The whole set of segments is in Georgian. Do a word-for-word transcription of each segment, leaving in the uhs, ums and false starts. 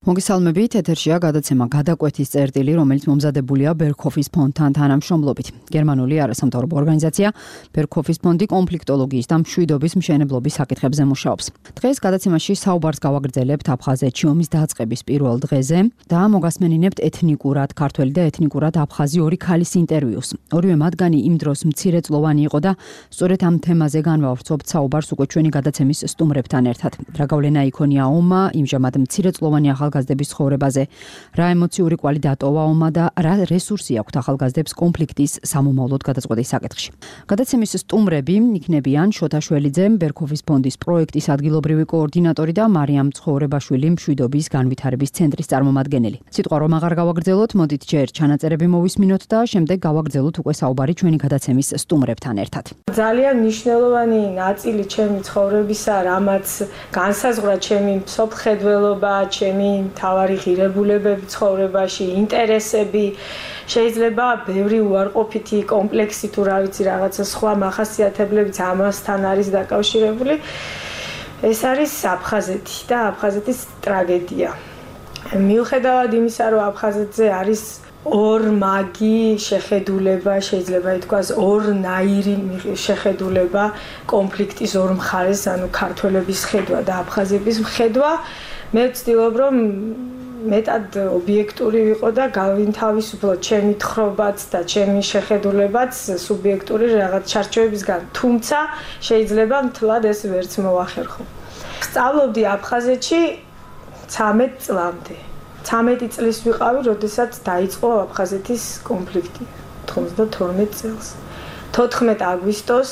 მოგესალმებით, ეთერშია გადაცემა გადაკვეთის წერტილი, რომელიც მომზადებულია ბერქოფის ფონდთან თანამშრომლობით. გერმანული არასამთავრობო ორგანიზაცია ბერქოფის ფონდი კონფლიქტოლოგიის და მშვიდობის მშენებლობის საკითხებზე მუშაობს. დღეს გადაცემაში საუბარს გავაგრძელებთ აფხაზეთში ომის დაწყების პირველ დღეზე და მოგასმენინებთ ეთნიკურად ქართველი და ეთნიკურად აფხაზი ორი ქალის ინტერვიუს. ორივე მათგანი იმ დროს მცირეწლოვანი იყო და სწორედ ამ თემაზე განვავრცობთ საუბარს უკვე ჩვენი გადაცემის სტუმრებთან ერთად. რა გავლენა იქონია ომმა იმჟამად მცირეწლოვანი ახალგაზრდების ცხოვრებაზე, რა ემოციური კვალი დატოვა ომმა და რა რესურსი აქვთ ახალგაზრდებს კონფლიქტის სამომავლოდ გადაწყვეტის საკითხში. გადაცემის სტუმრები იქნებიან შოთა შველიძე, ბერქოფის ფონდის პროექტის ადგილობრივი კოორდინატორი და მარიამ ცხოვრებაშვილი, მშვიდობის განვითარების ცენტრის წარმომადგენელი. სიტყვა რომ აღარ გავაგრძელოთ, მოდით ჯერ ჩანაწერები მოვისმინოთ და შემდეგ გავაგრძელოთ უკვე საუბარი ჩვენი გადაცემის სტუმრებთან ერთად. ძალიან მნიშვნელოვანი ნაწილი ჩემი ცხოვრებისა, რამაც განსაზღვრა ჩემი მსოფლმხედველობა, ჩემი მთავარი ღირებულებები ცხოვრებაში, ინტერესები, შეიძლება ბევრი უარყოფითი კომპლექსი თუ რა ვიცი რაღაცა სხვა მახასიათებლებიც ამასთან არის დაკავშირებული. ეს არის აფხაზეთი და აფხაზეთის ტრაგედია. მიუხედავად იმისა, რომ აფხაზეთზე არის ორმაგი შეხედულება, შეიძლება ითქვას ორნაირი შეხედულება კონფლიქტის ორ მხარეს, ანუ ქართველების ხედვა და აფხაზების ხედვა, მე ვცდილობ რომ მეტად ობიექტური ვიყო და გავინთავისუფლო ჩემი თხრობაც და ჩემი შეხედულებაც სუბიექტური რაღაც ჩარჩოებისგან, თუმცა შეიძლება მთლად ეს ვერც მოახერხო. სწავლობდი აფხაზეთში ცამეტ წლამდე. ცამეტი წლის ვიყავი, როდესაც დაიწყო აფხაზეთის კონფლიქტი თხუთმეტ წელს. თოთხმეტ აგვისტოს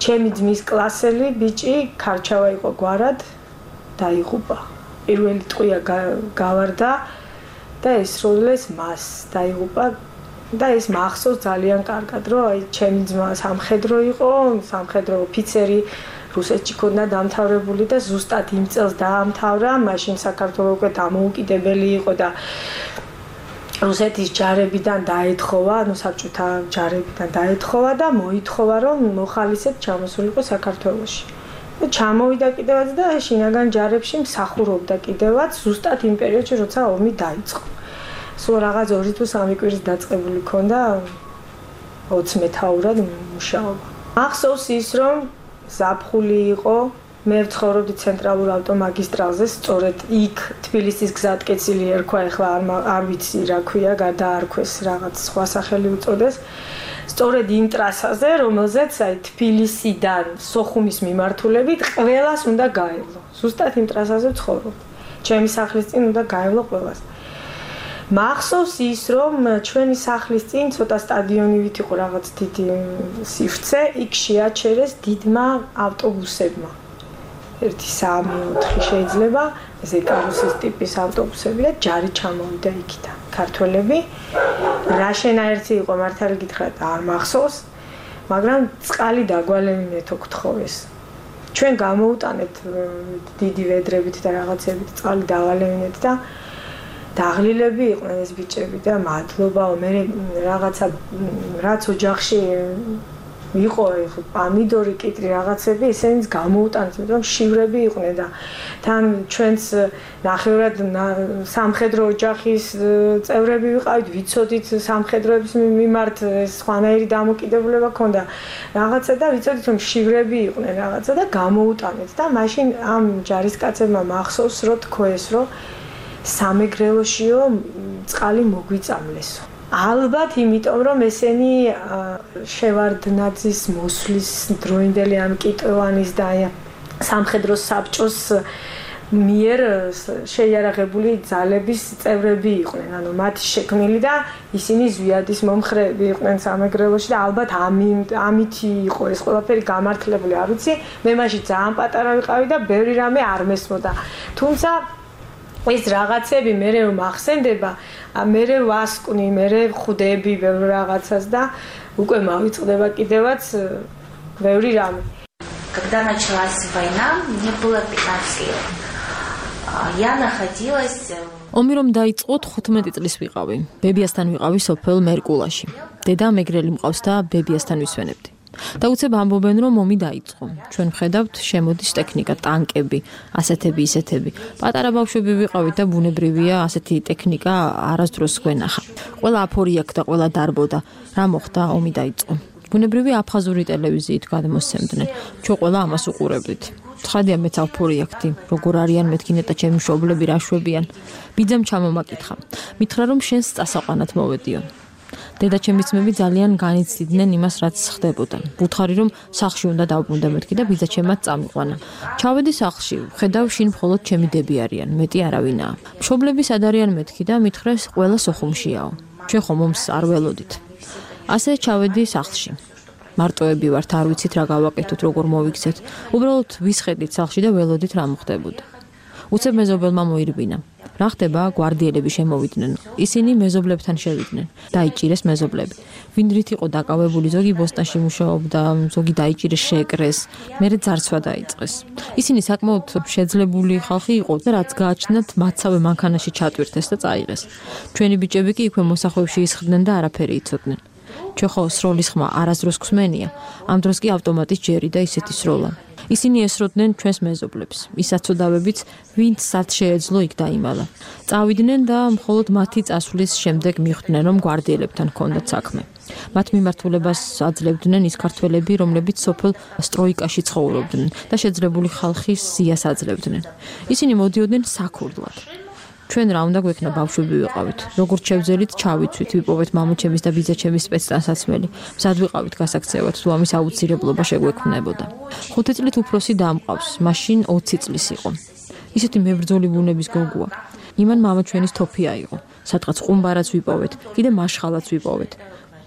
ჩემი ძმის კლასელი ბიჭი ქარჩავა იყო გვარად დაიღუპა. პირველი ტყვია გავარდა და ესროლეს მას დაიღუპა და ეს მახსოვს ძალიან კარგად, რომ აი ჩემი ძმა სამხედრო იყო, სამხედრო ოფიცერი რუსეთში ქონდა დამთავრებული და ზუსტად იმ წელს დაამთავრა, მაშინ საქართველოს უკვე დამოუკიდებელი იყო და რუსეთის ჯარებიდან დაეთხოვა, ანუ საბჭოთა ჯარებიდან დაეთხოვა და მოითხოვა, რომ მოხალისედ ჩამოსულიყო საქართველოში. და ჩამოვიდა კიდევაც და შინაგან ჯარებში მსახურობდა კიდევაც ზუსტად იმ პერიოდში, როცა ომი დაიწყო. სულ რაღაც ორი თუ სამი კვირის დაწყებული ქონდა ოცმეთაურად მუშაობა. ახსოვს ის, რომ ზაფხული იყო, მე ვცხოვრობდი ცენტრალურ ავტომაგისტრალზე, სწორედ იქ თბილისის გზატკეცილი ერქვა, ეხლა არ ვიცი რა ქვია, გადაარქვეს რაღაც სხვა სახელი უწოდეს. სწორედ იმ ტრასაზე, რომელზეც აი თბილისიდან სოხუმის მიმართულებით ყველას უნდა გაევლო. ზუსტად იმ ტრასაზე ვცხოვრობ. ჩემი სახლის წინ უნდა გაევლო ყველას. მახსოვს ის, რომ ჩვენი სახლის წინ ცოტა სტადიონივით იყო რაღაც დიდი სივრცე, იქ შეაჩერეს დიდმა ავტობუსებმა. ერთი სამი ოთხი შეიძლება, ესე კარუსის ტიპის ავტობუსები და ჯარი ჩამოვიდა იქიდან. ქართველები რა შენაერთი იყო მართალი გითხრათ არ მახსოვს, მაგრამ წყალი დაგვალევინეთ გთხოვეს. ჩვენ გამოუტანეთ დიდი ვედრებით და რაღაცებით წყალი დავალევინეთ და დაღლილები იყვნენ ეს ბიჭები და მადლობაო, მე რაღაცა რაც ოჯახში იყო პამიდორი, კიტრი რაღაცები, ესენიც გამოუტანეთ, რომ შივრები იყვნენ და თან ჩვენც ნახევრად სამხედრო ოჯახის წევრები ვიყავით, ვიცოდით სამხედროების მიმართ სხვანაირი დამოკიდებულება ქონდა რაღაცა და ვიცოდით რომ შივრები იყვნენ რაღაცა და გამოუტანეთ და მაშინ ამ ჯარისკაცებმა მახსოვს, რომ თქვეს, რომ სამეგრელოშიო წყალი მოგვიწამლესო. ალბათ იმიტომ, რომ ესენი შევარდნაძის მოსვლის დროინდელი ამ კიტოვანის და სამხედრო საბჭოს მიერ შეიარაღებული ძალების წევრები იყვნენ, ანუ მათი შექმნილი და ისინი ზვიადის მომხრეები იყვნენ სამეგრელოში და ალბათ ამით იყო ეს ყველაფერი გამართლებული, არ ვიცი, მე მაშინ ძალიან პატარა ვიყავი და ბევრი რამე არ მესმოდა. თუმცა ეს რაღაცები მე რომ ახსენდება, მე ვასკვნი, მე ვხვდები ბევრ რაღაცას და უკვე მავიწყდება კიდევაც ბევრი რამე. Когда началась война, мне было пятнадцать лет. Я находилась ომი რომ დაიწყო თხუთმეტი წლის ვიყავი. ბებიასთან ვიყავი სოფელ მერკულაში. დედა მეგრელი მყავს და ბებიასთან ვისვენებდი. და უცებ ამბობენ რომ ომი დაიწყო. ჩვენ ვხედავთ შემოდის ტექნიკა, ტანკები, ასეთები, ისეთები. პატარა ბავშვები ვიყავით და ბუნებრივია ასეთი ტექნიკა არასდროს გვენახა. ყველა აფორიაქდა, ყველა დარბოდა. რა მოხდა? ომი დაიწყო. ბუნებრივია აფხაზური ტელევიზიით გადმოსცემდნენ. ჩვენ ყველა ამას უყურებდით. ცხადია მეც აფორიაქდი, როგორ არიან მეთქინე და ჩემი მშობლები რა შვებიან. ბიძამ ჩამომაკითხა. მითხრა რომ შენს წასაყვანად მოვედიო. დედაჩემის ძმები ძალიან განიცდიდნენ იმას, რაც ხდებოდა. ვუთხარი რომ სახლში უნდა დავბრუნდე მეთქი და ბიძაჩემაც წამიყვანა. ჩავედი სახლში, ხედავ შინ მხოლოდ ჩემი დები არიან, მეტი არავინაა. მშობლები სად არიან მეთქი და მითხრეს ყველა სოხუმშიაო. ჩვენ ხომ ომს არ ველოდით. ასე ჩავედი სახლში. მარტოები ვართ, არ ვიცით რა გავაკეთოთ, როგორ მოვიქცეთ. უბრალოდ ვისხედით სახლში და ველოდით რა მოხდებოდა. უცებ მეზობელმა მოირბინა. რა ხდება? გვარდიელები შემოვიდნენ. ისინი მეზობლებთან შევიდნენ. დაიჭირეს მეზობლები. ვინ რით იყო დაკავებული, ზოგი ბოსტანში მუშაობდა, ზოგი დაიჭირეს, შეეკრეს, მერე ძარცვა დაიწყეს. ისინი საკმაოდ შეძლებული ხალხი იყო და რაც გააჩნდათ, მათსავე მანქანაში ჩატვირთეს და წაიღეს. ჩვენი ბიჭები კი იქვე მოსახლეებში ისხდნენ და არაფერი იცოდნენ. ჩვენ ხო სროლის ხმა არასდროს გვსმენია. ამ დროს კი ავტომატის ჯერი და ისეთი სროლა. ისინი ესროდნენ ჩვენს მეზობლებს. ის აცოდავებიც, ვინც სად შეეძლო იქ დაიმალა. წავიდნენ და მხოლოდ მათი წასვლის შემდეგ მიხვდნენ, რომ გვარდიელებთან ჰქონდათ საქმე. მათ მიმართულებას აძლევდნენ ის ქართველები, რომლებიც სოფელ სტროიკაში ცხოვრობდნენ და შეძლებული ხალხის სიას აძლევდნენ. ისინი მოდიოდნენ საქურდლად. ჩვენ რა უნდა გვექნა, ბავშვები ვიყავით. როგორც შევძელით, ჩავიცვით, ვიპოვეთ მამაჩემის და ბიძაჩემის სპეცტანსაცმელი. მზად ვიყავით გასაქცევად, თუ ამის აუცილებლობა შეგვექმნებოდა. ხუთი წლით უფროსი დამყავს, მაშინ ოცი წლის იყო. ისეთი მებრძოლი ბუნების გოგოა. იმან მამა ჩვენის თოფი აიღო. სადღაც ყუმბარაც ვიპოვეთ, კიდე მაშხალაც ვიპოვეთ.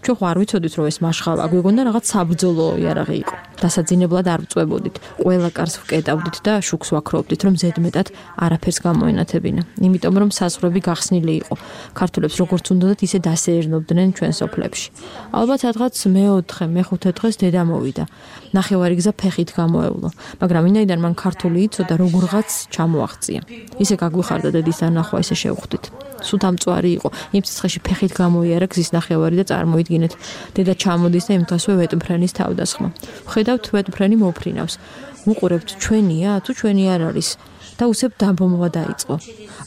ჩვენ ხო არ ვიცოდით, რომ ეს მაშხალა გვეგონდა რაღაც საბრძოლო იარაღი იყო. დასაძინებლად არ ვწვებოდით. ყველა კარს ვკეტავდით და შუქს ვაქროვდით, რომ ზედმეტად არაფერს გამოენათებინა. იმიტომ რომ საზღვრები გახსნილი იყო. ქართველებს როგორც უნდათ, ისე დასეერნობდნენ ჩვენ სოფლებში. ალბათ სადღაც მეოთხე, მეხუთე დღეს დედა მოვიდა. ნახევარი გზა ფეხით გამოევლო, მაგრამ ვინაიდან მან ქართული იცოდა, როგორღაც ჩამოაღწია. ისე გაგვიხარდა დედის დანახვა, ისე შევხვდით. სუთამწვარი იყო. იმ სიცხეში ფეხით გამოიარა გზის ნახევარი და წარმოიდგინეთ, დედა ჩამოდის და იმ დღესვე ვეტმფრენის თავდასხმა. ვხედავთ ვეტმფრენი მოფრინავს. ვუყურებთ ჩვენია თუ ჩვენი არ არის და უცებ დაბომბვა დაიწყო.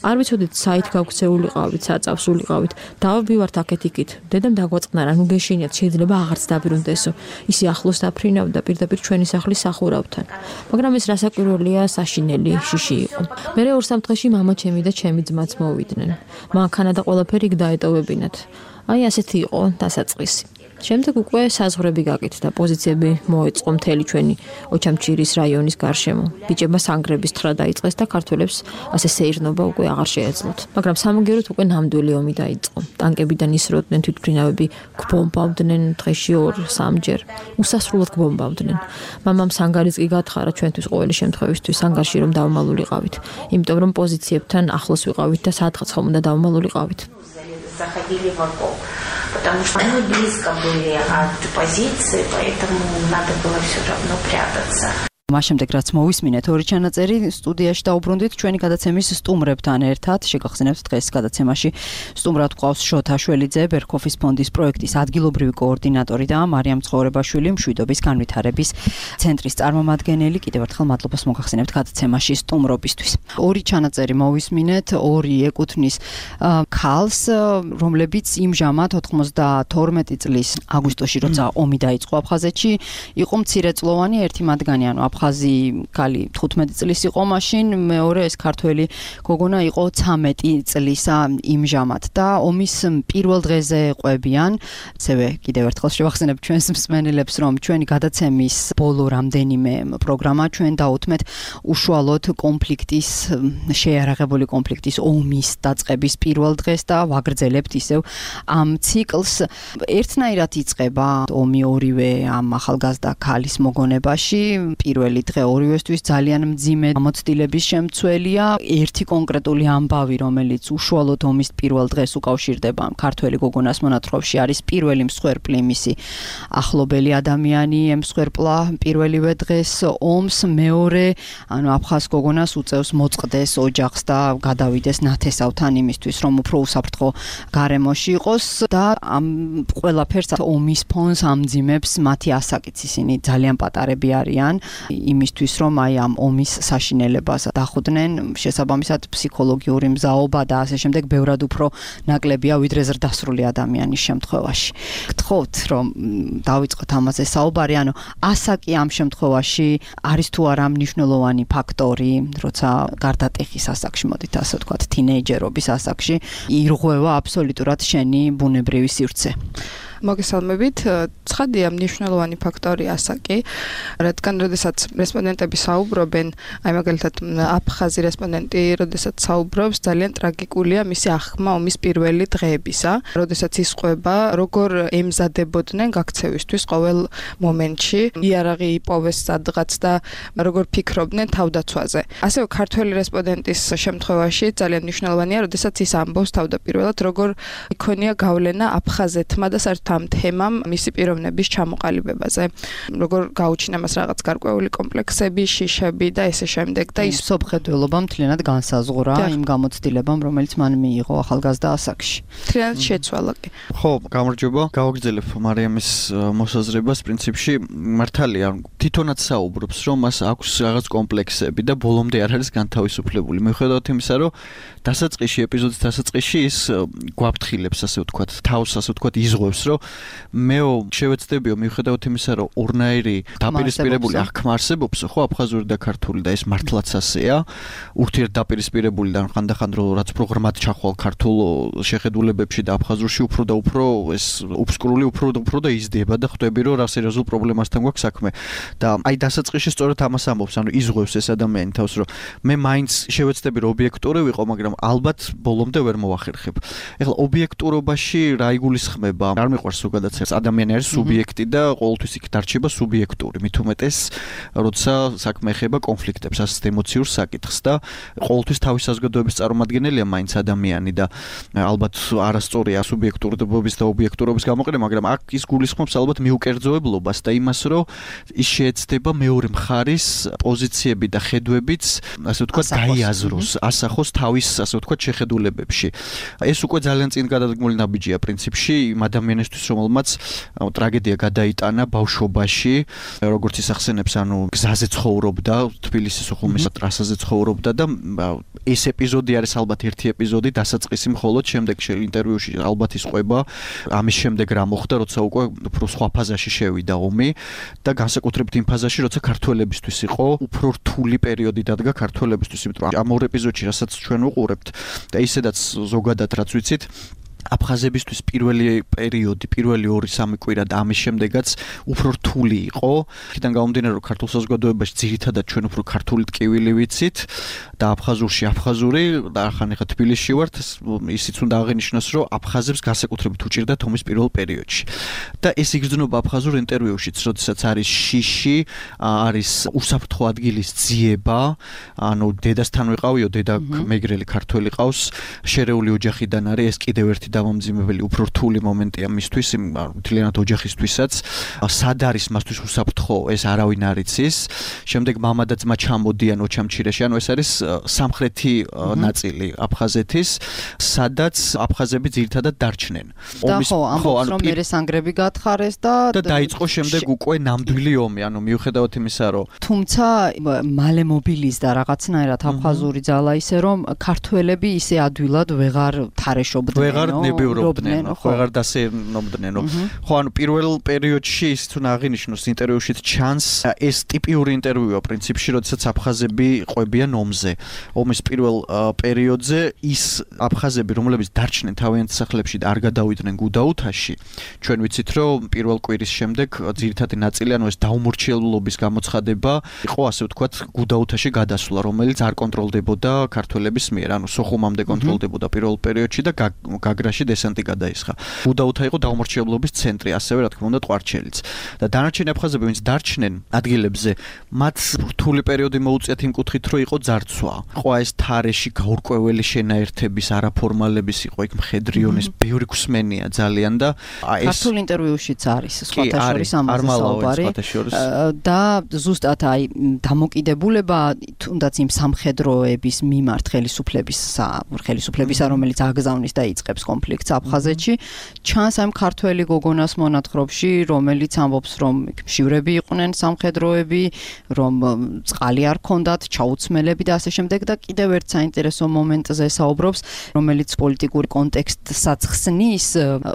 არ ვიცოდით საით გავქცეულიყავით, საწავსულიყავით. დავაბივართ აქეთ-იქით. დედამ დაგვაწყნა რა, ნუ გეშინიათ, შეიძლება აღარც დაბრუნდესო. ისი ახლოს დაფრინავდა პირდაპირ ჩვენი სახლის სახურავთან. მაგრამ ეს რასაკვირველია, საშინელი შიში იყო. მერე ორ-სამ დღეში მამაჩემი და ჩემი ძმაც მოვიდნენ. მანქანა და ყველაფერი იქ დაეტოვებინათ. აი ასეთი იყო დასაწყისი. შემდეგ უკვე საზღვრები გაკეთდა, პოზიციები მოეწყო მთელი ჩვენი ოჩამჩირის რაიონის გარშემო. ბიჭებმა სანგრების თხრა დაიწყეს და ქართველებს ასე სეირნობა უკვე აღარ შეეძლოთ. მაგრამ სამაგეროთ უკვე ნამდვილი ომი დაიწყო. ტანკებიდან ისროდნენ, თვითმფრინავები გვბომბავდნენ დღეში ორ-სამჯერ. უსასრულოდ გვბომბავდნენ. მამამ სანგარიც კი გათხარა ჩვენთვის ყოველი შემთხვევისთვის სანგარში რომ დავმალულიყავით. იმიტომ რომ პოზიციებთან ახლოს ვიყავით და სადღაც ხომ უნდა დავმალულიყავით. Заходили в окоп, потому что мы близко были от позиции, поэтому надо было все равно прятаться. მას შემდეგ რაც მოვისმინეთ ორი ჩანაწერი სტუდიაში დაუბრუნდით ჩვენი გადაცემის სტუმრებთან ერთად. შეგახსენებთ დღეს გადაცემაში სტუმრად გვყავს შოთა შველიძე, ბერქოფის ფონდის პროექტის ადგილობრივი კოორდინატორი და მარიამ ცხორებაშვილი, მშვიდობის განვითარების ცენტრის წარმომადგენელი. კიდევ ერთხელ მადლობას მოგახსენებთ გადაცემაში სტუმრობისთვის. ორი ჩანაწერი მოვისმინეთ, ორი ეკუთვნის ქალს, რომლებიც იმჟამად ოთხმოცდათორმეტი წლის აგვისტოში, როცა ომი დაიწყო აფხაზეთში, იყო მცირეწლოვანი, ერთი მათგანი, ანუ აფხაზი ქალი თხუთმეტი წლის იყო მაშინ, მეორე ეს ქართველი გოგონა იყო ცამეტი წლისა იმჟამად და ომის პირველ დღეზე ყვებიან. ასევე კიდევ ერთხელ შევახსენებ ჩვენს მსმენელებს, რომ ჩვენი გადაცემის ბოლო რამდენიმე პროგრამა ჩვენ დაუთმეთ უშუალოდ კონფლიქტის, შეიარაღებული კონფლიქტის ომის დაწყების პირველ დღეს და ვაგრძელებთ ისევ ამ ციკლს. ერთნაირად იწყება ომი ორივე ამ ახალგაზრდა ქალის მოგონებაში. პირველ პირველი დღე ორივესთვის ძალიან მძიმე გამოცდილების შემცველია. ერთი კონკრეტული ამბავი, რომელიც უშუალოდ ომის პირველ დღეს უკავშირდება ქართველი გოგონას მონათხრობში, არის პირველი მსხვერპლი, მისი ახლობელი ადამიანი ემსხვერპლა პირველივე დღეს ომს. მეორე, ანუ აფხაზ გოგონას უწევს მოწყდეს ოჯახს და გადავიდეს ნათესავთან იმისთვის, რომ უფრო უსაფრთხო გარემოში იყოს და ამ ყველაფერს ომის ფონს ამძიმებს მათი ასაკიც. ისინი ძალიან პატარები არიან იმისთვის, რომ აი ამ ომის საშინელებას დახვდნენ, შესაბამისად ფსიქოლოგიური მზაობა და ასე შემდეგ ბევრად უფრო ნაკლებია ვიდრე ზრდასრული ადამიანის შემთხვევაში. გთხოვთ, რომ დავიწყოთ ამაზე საუბარი, ანუ ასაკი ამ შემთხვევაში არის თუ არა მნიშვნელოვანი ფაქტორი, როცა გარდატეხის ასაკში, მოდით ასე ვთქვათ, თინეიჯერობის ასაკში ირღვევა აბსოლუტურად შენი ბუნებრივი სივრცე. მოგესალმებით. ცხადია, მნიშვნელოვანი ფაქტორი ასაკი, რადგან როდესაც რესპონდენტები საუბრობენ, აი მაგალითად აფხაზი რესპონდენტი, როდესაც საუბრობს, ძალიან ტრაგიკულია მისი აღქმა ომის პირველი დღეებისა, როდესაც ისყვება, როგორ ემზადებოდნენ გაქცევისთვის ყოველ მომენტში, იარაღი იპოვეს სადღაც და როგორ ფიქრობდნენ თავდაცვაზე. ასევე ქართველი რესპონდენტის შემთხვევაში ძალიან მნიშვნელოვანია, როდესაც ის ამბობს თავდაპირველად, როგორ იქონია გავლენა აფხაზეთმა და საერთოდ ამ თემამ მისი პიროვნების ჩამოყალიბებაზე. როგორ გაუჩინა მას რაღაც გარკვეული კომპლექსები, შიშები და ესე შემდეგ და ის სოფხედველობა მთლიანად განსაზღვრა იმ გამოცდილებამ, რომელიც მან მიიღო ახალგაზრდა ასაკში. მთლიანად შეცვალა კი. ხო, გამარჯობა. გავაგრძელებ მარიამის მოსაზრებას, პრინციპში მართალია, თვითონაც საუბრობს, რომ მას აქვს რაღაც კომპლექსები და ბოლომდე არ არის განთავისუფლებული. მიუხედავად იმისა, რომ დასაწყისში, ეპიზოდის დასაწყისში ის გვაფრთხილებს, ასე ვთქვათ, თავს, ასე ვთქვათ, იზღვევს, რომ მეო შევეცდებიო, მიუხედავად იმისა, რომ ორნაირი დაპირისპირებული აღქმა არსებობს, ხო, აფხაზური და ქართული და ეს მართლაც ასეა, ურთიერთდაპირისპირებული და ხანდახან რაც უფრო ღრმად ჩახვალ ქართულ შეხედულებებში და აფხაზურში უფრო და უფრო ეს უბსკრული უფრო და უფრო და იზრდება და ხვდები, რომ რა სერიოზულ პრობლემასთან გვაქვს საქმე. და აი დასაწყისში სწორედ ამას ამბობს, ანუ იზღვევს ეს ადამიანი თავს, რომ მე მაინც შევეცდები, რომ ობიექტური ვიყო, მაგრამ ალბათ ბოლომდე ვერ მოვახერხებ. ეხლა ობიექტურობაში რა იგულისხმება? არ მიყვარს ზოგადად ეს ადამიანი არის სუბიექტი და ყოველთვის იქ დარჩება სუბიექტური. მით უმეტეს, როცა საქმე ეხება კონფლიქტებს, ასეთ ემოციურ საკითხს და ყოველთვის თავის საზოგადოების წარმომადგენელია მაინც ადამიანი და ალბათ არასწორია სუბიექტურობის და ობიექტურობის გამოყენება, მაგრამ აქ ის გულისხმობს ალბათ მიუკერძოებლობას და იმას, რომ ის შეეცდება მეორე მხარის პოზიციები და ხედვებიც, ასე ვთქვათ, გაიაზროს, ასახოს თავის, ასე ვთქვათ, შეხედულებებში. ეს უკვე ძალიან წინ გადადგმული ნაბიჯია პრინციპში იმ ადამიანისთვის, რომელმაც ტრაგედია გადაიტანა ბავშვობაში, როგორც ის ახსენებს, ანუ გზაზე ცხოვრობდა, თბილისის უხუმის ტრასაზე ცხოვრობდა და ეს ეპიზოდი არის ალბათ ერთი ეპიზოდი, დასაწყისი მხოლოდ შემდეგ ინტერვიუში ალბათ ისყვება ამის შემდეგ რა მოხდა, როცა უკვე უფრო სხვა ფაზაში შევიდა ომი და განსაკუთრებით იმ ფაზაში, როცა ქართველებისთვის იყო უფრო რთული პერიოდი დადგა ქართველებისთვის, იმიტომ რომ ამ ორ ეპიზოდში, რასაც ჩვენ ვუყურებთ და ისედაც ზოგადად რაც ვიცით, აფხაზებისთვის პირველი პერიოდი, პირველი ორი სამი კვირა და ამის შემდეგაც უფრო რთული იყო. იქიდან გამომდინარე, რომ ქართულ საზოგადოებაში ძირითადად ჩვენ უფრო ქართული ტკივილი ვიცით და აფხაზურში აფხაზური და ახლა ახლა თბილისში ვართ, ისიც უნდა აღინიშნოს, რომ აფხაზებს განსაკუთრებით უჭირდათ ომის პირველ პერიოდში. და ეს იგრძნობა აფხაზურ ინტერვიუშიც, როდესაც არის შიში, არის უსაფრთხო ადგილის ძიება, ანუ დედასთან ვიყავიო, დედა მეგრელი ქართველი ყავს, შერეული ოჯახიდან არის, ეს კიდევ ერთი დამამძიმებელი უფრო რთული მომენტია მისთვის, მთლიანად ოჯახისთვისაც. სად არის მასთვის უსაფრთხო, ეს არავინ არ იცის. შემდეგ მამა და ძმა ჩამოდიან ოჩამჩირეში, ანუ ეს არის სამხრეთი ნაწილი აფხაზეთის, სადაც აფხაზები ძირითადად დარჩნენ. და ხო, ამბობს, რომ მერე სანგრები გათხარეს და და დაიწყო შემდეგ უკვე ნამდვილი ომი, ანუ მიუხედავად იმისა, რომ თუმცა მალე მობილიზდა რაღაცნაირად აფხაზური ძალა ისე, რომ ქართველები ისე ადვილად ვეღარ თარეშობდნენ. ვეღარ ნებიურობდნენ, ხო, ვეღარ დასენობდნენ. ხო, ანუ პირველ პერიოდში ის თუნ აღინიშნოს ინტერვიუშიც ჩანს, ეს ტიპიური ინტერვიუა პრინციპში, როდესაც აფხაზები ყვებიან ომზე. ომის პირველ პერიოდზე ის აფხაზები, რომლებიც დარჩნენ თავიანთ სახლებში და არ გადავიდნენ გუდაუთაში, ჩვენ ვიცით, რომ პირველ კვირის შემდეგ ძირითადი ნაწილი, ანუ ეს დაუმორჩილებლობის გამოცხადება იყო, ასე ვთქვათ, გუდაუთაში გადასვლა, რომელიც არ კონტროლდებოდა ქართველების მიერ, ანუ სოხუმამდე კონტროლდებოდა პირველ პერიოდში და გაგრა ვოლგაში დესანტი გადაისხა. უდაუთა იყო დაუმორჩილებლობის ცენტრი, ასევე რა თქმა უნდა ტყვარჩელიც. და დანარჩენი აფხაზები, ვინც დარჩნენ ადგილებზე, მათ რთული პერიოდი მოუწიათ იმ კუთხით, რომ იყო ძარცვა. ყო ეს თარეში გაურკვეველი შენაერთების, არაფორმალების იყო იქ მხედრიონის, ბევრი გსმენია ძალიან და აი ეს ქართულ ინტერვიუშიც არის სხვათა შორის ამაზე საუბარი. და ზუსტად აი დამოკიდებულება თუნდაც იმ სამხედროების მიმართ ხელისუფლების ხელისუფლებისა, რომელიც აგზავნის და იწყებს კონფლიქტს აფხაზეთში, ჩანს ამ ქართველი გოგონას მონათხრობში, რომელიც ამბობს, რომ მშივრები იყვნენ სამხედროები, რომ წყალი არ ქონდათ, ჩაუცმელები და ასე შემდეგ და კიდევ ერთ საინტერესო მომენტზე საუბრობს, რომელიც პოლიტიკური კონტექსტსაც ხსნის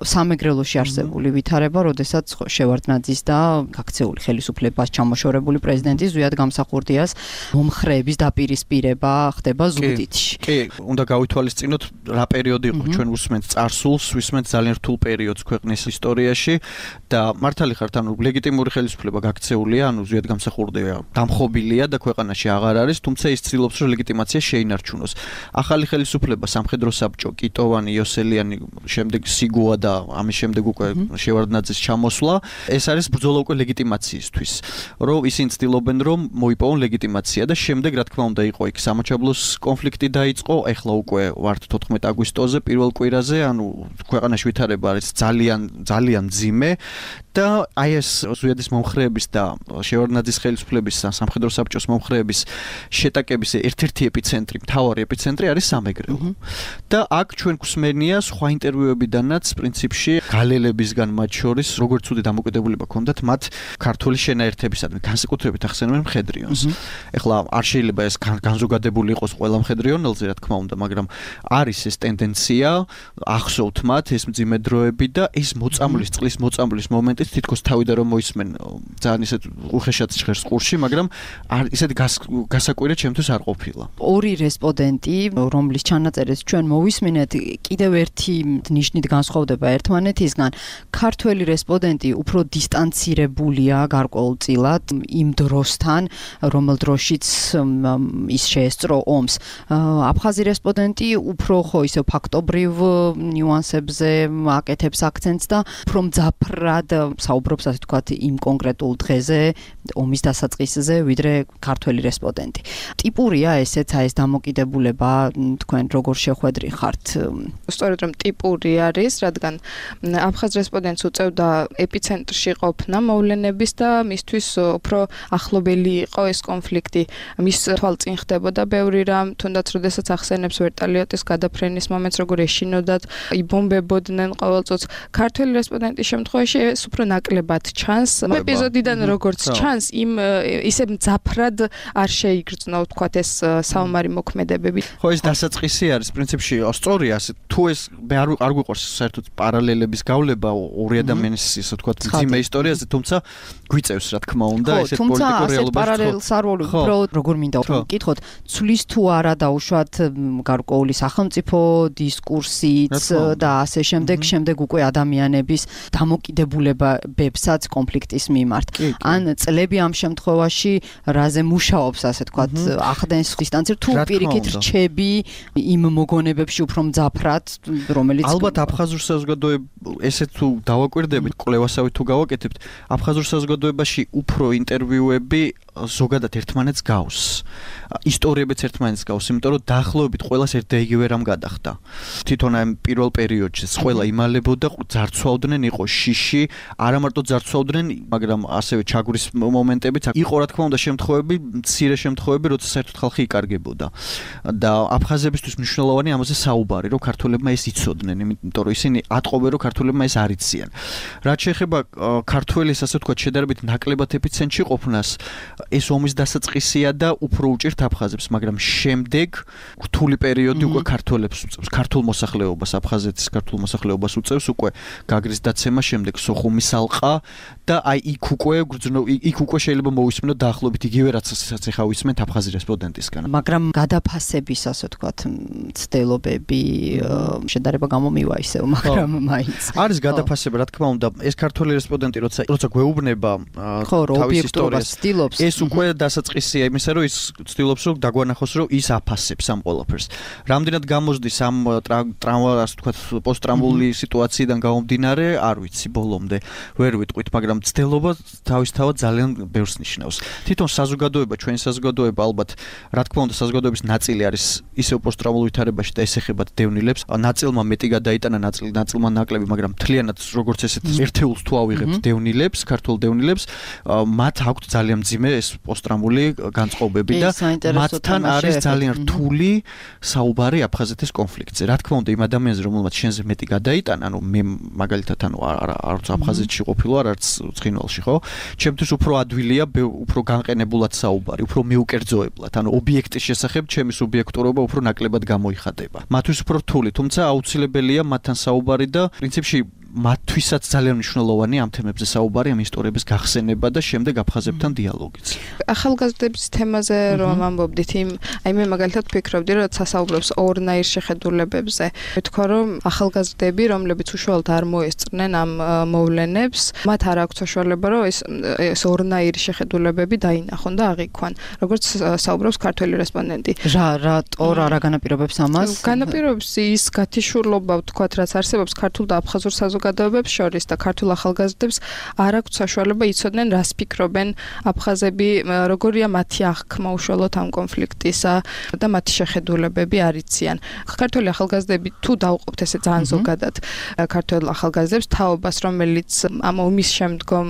სამეგრელოში არსებული ვითარება, როდესაც შევარდნაძის და გაქცეული ხელისუფლებას ჩამოშორებული პრეზიდენტის ზვიად გამსახურდიას მომხრეების დაპირისპირება ხდება ზუგდიდში. კი, უნდა გავითვალისწინოთ რა პერიოდი იყო ჩვენ უსმენთ წარსულს, ვისმენთ ძალიან რთულ პერიოდს ქვეყნის ისტორიაში და მართალი ხართ, ანუ ლეგიტიმური ხელისუფლება გაქცეულია, ანუ ზვიად გამსახურდია, დამხობილია და ქვეყანაში აღარ არის, თუმცა ის ცდილობს, რომ ლეგიტიმაცია შეინარჩუნოს. ახალი ხელისუფლება, სამხედრო საბჭო, კიტოვანი, იოსელიანი, შემდეგ სიგუა და ამის შემდეგ უკვე შევარდნაძის ჩამოსვლა, ეს არის ბრძოლა უკვე ლეგიტიმაციისთვის, რომ ისინი ცდილობენ, რომ მოიპოვონ ლეგიტიმაცია და შემდეგ რა თქმა უნდა იყო იქ სამაჩაბლოს კონფლიქტი დაიწყო, ეხლა უკვე ვართ თოთხმეტ აგვისტოზე, პირველ კვირაზე, ანუ ქვეყანაში ვითარება არის ძალიან ძალიან მძიმე და აი ეს ზვიადის მომხრეების და შევარდნაძის ხელისუფლების სამხედრო საბჭოს მომხრეების შეტაკების ერთ-ერთი ეპიცენტრი, მთავარი ეპიცენტრი არის სამეგრელო. და აქ ჩვენ გვსმენია სხვა ინტერვიუებიდანაც პრინციპში გალელებისგან მათ შორის როგორც ცუდი დამოკიდებულება ჰქონდათ მათ ქართული შენაერთებისადმი, განსაკუთრებით ახსენებენ მხედრიონს. ეხლა არ შეიძლება ეს განზოგადებული იყოს ყველა მხედრიონელზე, რა თქმა უნდა, მაგრამ არის ეს ტენდენცია, ახსოვთ მათ ეს მძიმე დროები და ეს მოწამვლის წყლის მოწამვლის მომენტიც თითქოს თავიდან რომ მოისმენ ძალიან ისეთ უხეშად ჟღერს ყურში, მაგრამ არ ისეთი გასაკვირად ჩემთვის არ ყოფილა. ორი რესპონდენტი, რომლის ჩანაწერებს ჩვენ მოვისმინეთ, კიდევ ერთი ნიშნით განსხვავდება ერთმანეთისგან. ქართველი რესპონდენტი უფრო დისტანცირებულია გარკვეულწილად იმ დროსთან, რომელ დროშიც ის შეესწრო ომს. აფხაზი რესპონდენტი უფრო ხო ისე ფაქტობრივ ნიუანსებზე აკეთებს აქცენტს და უფრო მძაფრად საუბრობს, ასე ვთქვათ, იმ კონკრეტულ დღეზე, ომის დასაწყისზე, ვიდრე ქართველი რესპონდენტი. ტიპურია ესეც აი ეს დამოკიდებულება, თქვენ როგორ შეხვედრი ხართ? სწორედ რომ ტიპური არის, რადგან აფხაზ რესპონდენტს უწევდა ეპიცენტრში ყოფნა მოვლენების და მისთვის უფრო ახლობელი იყო ეს კონფლიქტი. მის თვალწინ ხდებოდა ბევრი რამ, თუნდაც როდესაც ახსენებს ვერტალიოტის გადაფრენის მომენტს, როგორ ეშინოდათ, იბომბებოდნენ ყოველწუთს. ქართველი რესპონდენტის შემთხვევაში ეს უფრო ნაკლებად ჩანს. ეპიზოდიდან როგორც ჩანს, იმ ისე მძაფრად არ შეიგრძნო, ვთქვათ, ეს საომარი მოქმედებები. ხო, ეს დასაწყისი არის პრინციპში სწორია, თუ ეს მე არ არ გვიყვარს საერთოდ პარალელების გავლება ორი ადამიანის, ისე ვთქვათ, მძიმე ისტორიაზე, თუმცა გვიწევს, რა თქმა უნდა, ესეთ პოლიტიკურ რეალობას. პარალელს არ ვარ, უბრალოდ როგორ მინდა ვკითხოთ, ცulis თუ არა დაუშვათ გარკვეული სახელმწიფო დისკურსიც და ასე შემდეგ, შემდეგ უკვე ადამიანების დამოკიდებულებებსაც კონფლიქტის მიმართ. ან წლები ამ შემთხვევაში რაზე მუშაობს, ასე ვთქვათ, ახდენს დისტანციერ თუ პირიქით რჩები იმ მოგონებებში უფრო მძაფრად, რომელიც ალბათ აფხაზურ საზოგადოება ესე თუ დავაკვირდებით, კვლევასავით თუ გავაკეთებთ, აფხაზურ საზოგადოებაში უფრო ინტერვიუები ზოგადად ერთმანეთს გავს. ისტორიებიც ერთმანეთს გავს, იმიტომ რომ დაახლოებით ყველას ერთ და იგივე რამ გადახდა. თვითონ ამ პირველ პერიოდში ყველა იმალებოდა, ძარცვავდნენ, იყო შიში, არა მარტო ძარცვავდნენ, მაგრამ ასევე ჩაგვრის მომენტებიც იყო, რა თქმა უნდა, შემთხვევები, მცირე შემთხვევები, როცა საერთოდ ხალხი იკარგებოდა. და აფხაზებისთვის მნიშვნელოვანი ამაზე საუბარი, რომ ქართველებმა ეს იცოდნენ, იმიტომ რომ ისინი ატყობენ, რომ ქართველებმა ეს არ იციან. რაც შეეხება ქართველის, ასე ვთქვათ, შედარებით ნაკლებად ეპიცენტრში ყოფნას, ეს ომის დასაწყისია და უფრო უჭირთ აფხაზებს, მაგრამ შემდეგ რთული პერიოდი უკვე ქართველებს უწევს, ქართულ მოსახლეობას, აფხაზეთის ქართულ მოსახლეობას უწევს უკვე გაგრის დაცემა, შემდეგ სოხუმის ალყა და აი იქ უკვე იქ უკვე შეიძლება მოვისმინოთ დაახლოებით იგივე რაც ახლა ვისმენთ აფხაზი რესპონდენტისგან. მაგრამ გადაფასების, ასე ვთქვათ, მცდელობები, შედარებით განვითარება გამომივა ისევ, მაგრამ მაინც. არის გადაფასება, რა თქმა უნდა, ეს ქართველი რესპონდენტი როცა როცა გვეუბნება თავის ისტორიას ცდილობს. ეს უკვე დასაწყისია იმისა, რომ ის ცდილობს რომ დაგვანახოს, რომ ის აფასებს ამ ყველაფერს. რამდენად გამოსდის ამ ტრავმა, ასე ვთქვათ, პოსტტრაუმული სიტუაციიდან გამომდინარე, არ ვიცი ბოლომდე. ვერ ვიტყვით, მაგრამ ცდელობა თავისთავად ძალიან ბევრს ნიშნავს. თვითონ საზოგადოება, ჩვენი საზოგადოება ალბათ, რა თქმა უნდა, საზოგადოების ნაწილი არის ისევ პოსტტრაუმულ ვითარებაში და ეს ეხება დევნილებს. ნაწილმა მეტი გადაიტანა, ნაწილ ნაწილმა ნაკლები, მაგრამ მთლიანად როგორც ესეთ ერთეულს თუ ავიღებთ დევნილებს, ქართულ დევნილებს, მათ აქვთ ძალიან მძიმე ეს პოსტტრაუმული განწყობები და მათთან არის ძალიან რთული საუბარი აფხაზეთის კონფლიქტზე. რა თქმა უნდა, იმ ადამიანზე, რომელმაც შენზე მეტი გადაიტანა, ანუ მე მაგალითად ანუ არც აფხაზეთში ყოფილი ვარ, არც ცხინვალში, ხო? ჩემთვის უფრო ადვილია, უფრო განყენებულად საუბარი, უფრო მიუკერძოებლად, ანუ ობიექტის შესახებ ჩემი სუბიექტურობა უფრო ნაკლებად გამოიხატება. მათთვის უფრო რთული, თუმცა აუცილებელია მათთან საუბარი და პრინციპში მათთვისაც ძალიან მნიშვნელოვანია ამ თემებზე საუბარი, ამ ისტორიების გახსენება და შემდეგ აფხაზებთან დიალოგიც. ახალგაზრდების თემაზე რომ ამბობდით, იმ აი მე მაგალითად ვფიქრობდი, რომ სასაუბრობს ორნაირ შეხედულებებზე. მეთქვა რომ ახალგაზრდები, რომლებიც უშუალოდ არ მოესწრნენ ამ მოვლენებს, მათ არ აქვს საშუალება, რომ ეს ეს ორნაირი შეხედულებები დაინახონ და აღიქვან. როგორც საუბრობს ქართველი რესპონდენტი. რა რატო რა განაპირობებს ამას? განაპირობებს ის გათიშურლობა, ვთქვათ, რაც არსებობს ქართულ და აფხაზურ საზოგადოებებს შორის და ქართულ ახალგაზრდებს არ აქვს საშუალება იცოდნენ, რას ფიქრობენ აფხაზები, როგორია მათი აღქმა უშუალოდ ამ კონფლიქტისა და მათი შეხედულებები არ იციან. ქართული ახალგაზრდები თუ დავუყობთ ესე ძალიან ზოგადად ქართულ ახალგაზრდებს თაობას, რომელიც ამ ომის შემდგომ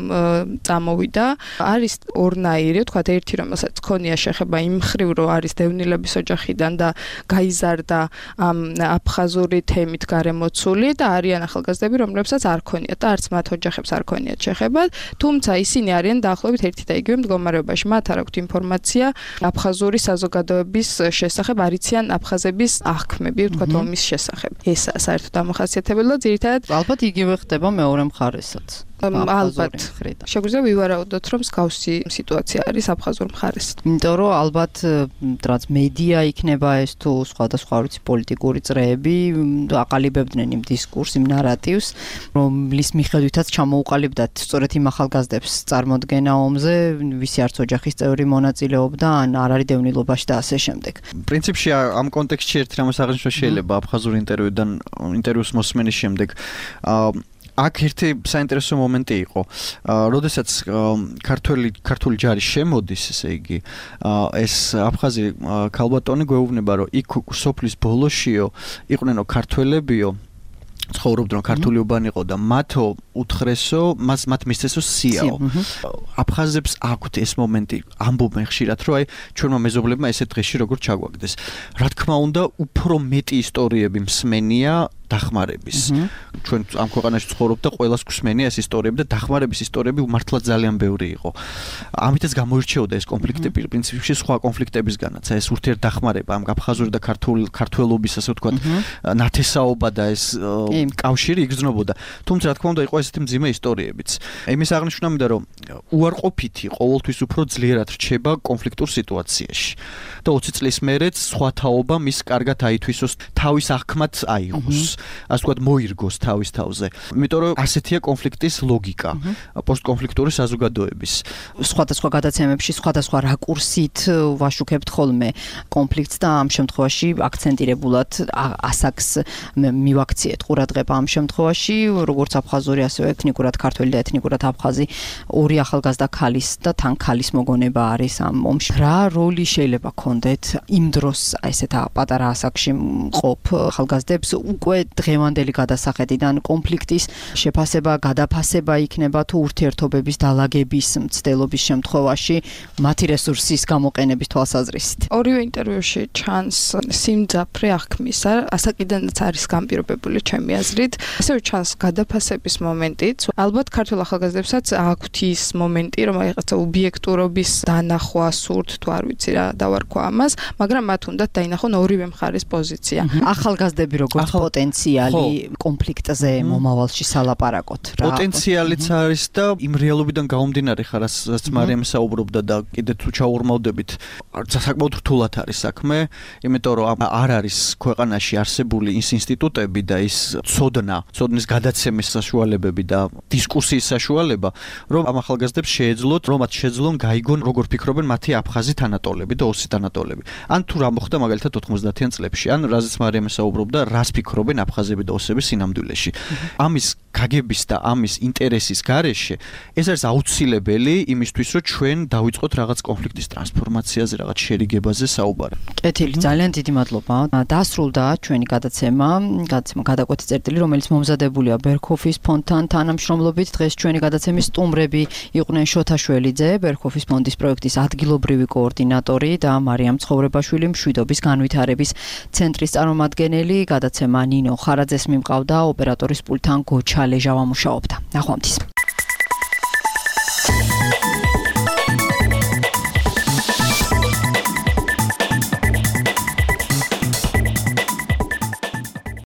წამოვიდა, არის ორნაირი, ვთქვათ, ერთი რომელსაც ქონია შეხება იმ მხრივ, რომ არის დევნილების ოჯახიდან და გაიზარდა ამ აფხაზური თემით გარემოცული და არიან ახალგაზრდები, რომლებსაც არ ქონიათ და არც მათ ოჯახებს არ ქონიათ შეხება, თუმცა ისინი არიან დაახლოებით ერთი და იგივე მდგომარეობაში. მათ არ აქვთ ინფორმაცია აფხაზური საზოგადოების შესახებ, არ იციან აფხაზების აღქმები, ვთქვათ, ომის შესახებ. ეს საერთოდ დამახასიათებელი და ძირითადად ალბათ იგივე ხდება მეორე მხარესაც. ალბათ შეგვიძლია ვივარაუდოთ, რომ მსგავსი სიტუაცია არის აფხაზურ მხარეს. იმიტომ რომ ალბათ რაც მედია იქნება ეს თუ სხვადასხვა ვიცი პოლიტიკური წრეები აყალიბებდნენ იმ დისკურს, იმ ნარატივს, რომლის მიხედვითაც ჩამოუყალიბდათ სწორედ იმ ახალგაზრდებს წარმოდგენა ომზე, ვისი არც ოჯახის წევრი მონაწილეობდა, ან არ არის დევნილობაში და ასე შემდეგ. პრინციპში ამ კონტექსტში ერთ რამას აღნიშნვა შეიძლება აფხაზურ ინტერვიუდან ინტერვიუს მოსმენის შემდეგ. აქ ერთი საინტერესო მომენტი იყო. როდესაც ქართველი ქართული ჯარი შემოდის, ესე იგი, ეს აფხაზი ქალბატონი გვეუბნება, რომ იქ სოფლის ბოლოშიო იყვნენ ქართველებიო, ცხოვრობდნენ ქართული უბანი იყო და მათო უთხრესო, მას მათ მისცესო სიაო. აფხაზებს აქვთ ეს მომენტი, ამბობენ ხშირად, რომ აი ჩვენმა მეზობლებმა ესეთ დღეში როგორ ჩაგვაგდეს. რა თქმა უნდა, უფრო მეტი ისტორიები მსმენია დახმარების. ჩვენ ამ ქვეყანაში ცხოვრობ და ყველას გვსმენია ეს ისტორიები და დახმარების ისტორიები მართლა ძალიან ბევრი იყო. ამიტაც გამოირჩეოდა ეს კონფლიქტები პრინციპში სხვა კონფლიქტებისგანაც. ეს ურთიერთდახმარება ამ აფხაზური და ქართულ ქართველობის, ასე ვთქვათ, ნათესაობა და ეს კავშირი იგრძნობოდა. თუმცა რა თქმა უნდა იყო ესეთი მძიმე ისტორიებიც. იმის აღნიშვნა მინდა რომ უარყოფითი ყოველთვის უფრო ძლიერად რჩება კონფლიქტურ სიტუაციაში. და ოცი წლის მერეც სხვა თაობა მის კარგად აითვისოს, თავის აღქმად აიღოს. ასე ვთქვათ, მოირგოს თავის თავზე. იმიტომ რომ ასეთია კონფლიქტის ლოგიკა, პოსტკონფლიქტური საზოგადოების. სხვადასხვა გადაცემებში სხვადასხვა რაკურსით ვაშუქებთ ხოლმე კონფლიქტს და ამ შემთხვევაში აქცენტირებულად ასაკს მივაქციეთ ყურადღება ამ შემთხვევაში, როგორც აფხაზური, ასევე ეთნიკურად ქართველი და ეთნიკურად აფხაზი ორი ახალგაზრდა ქალის და თან ქალის მოგონება არის ამ ომში. რა როლი შეიძლება ქონდეთ იმ დროს ესეთ პატარა ასაკში მყოფ ახალგაზრდებს უკვე დღევანდელი გადასახედიდან კონფლიქტის შეფასება, გადაფასება იქნება თუ ურთიერთობების დალაგების მცდელობის შემთხვევაში მათი რესურსის გამოყენების თვალსაზრისით. ორივე ინტერვიუში ჩანს სიმძაფრე აღქმისა, ასაკიდანაც არის განპირობებული ჩემი აზრით. ასევე ჩანს გადაფასების მომენტიც. ალბათ ქართულ ახალგაზრდებსაც აქვთ ის მომენტი, რომ რაღაცა ობიექტურობის დანახვა სურთ, თუ არ ვიცი რა დავარქვა ამას, მაგრამ მათ უნდათ დაინახონ ორივე მხარის პოზიცია. ახალგაზრდები როგორც პოტენციალი პოტენციალი კონფლიქტზე მომავალში სალაპარაკოთ რა. პოტენციალიც არის და იმ რეალობიდან გამომდინარე ხარ, რაც მარიამი საუბრობდა და კიდე თუ ჩაურმავდებით, საკმაოდ რთულად არის საქმე, იმიტომ რომ არ არის ქვეყანაში არსებული ის ინსტიტუტები და ის ცოდნა, ცოდნის გადაცემის საშუალებები და დისკუსიის საშუალება, რომ ამ ახალგაზრდებს შეეძლოთ, რომ მათ შეძლონ გაიგონ, როგორ ფიქრობენ მათი აფხაზი თანატოლები და ოსი თანატოლები. ან თუ რა მოხდა მაგალითად ოთხმოცდაათიან წლებში, ან რაზეც მარიამი საუბრობდა, რას ფიქრობენ აფხაზები და ოსები სინამდვილეში. ამის გაგების და ამის ინტერესის გარეშე ეს არის აუცილებელი იმისთვის, რომ ჩვენ დავიწყოთ რაღაც კონფლიქტის ტრანსფორმაციაზე, რაღაც შერიგებაზე საუბარი. კეთილი, ძალიან დიდი მადლობა. დასრულდა ჩვენი გადაცემა, გადაცემა გადაკვეთი წერტილი, რომელიც მომზადებულია ბერქოფის ფონდთან თანამშრომლობით. დღეს ჩვენი გადაცემის სტუმრები იყვნენ შოთა შველიძე, ბერქოფის ფონდის პროექტის ადგილობრივი კოორდინატორი და მარიამ ცხოვრებაშვილი, მშვიდობის განვითარების ცენტრის წარმომადგენელი. გადაცემა ნინო ხარაძეს მიმყავდა, ოპერატორის პულტთან გოჩა ლეჟავა მუშაობდა. ნახვამდის.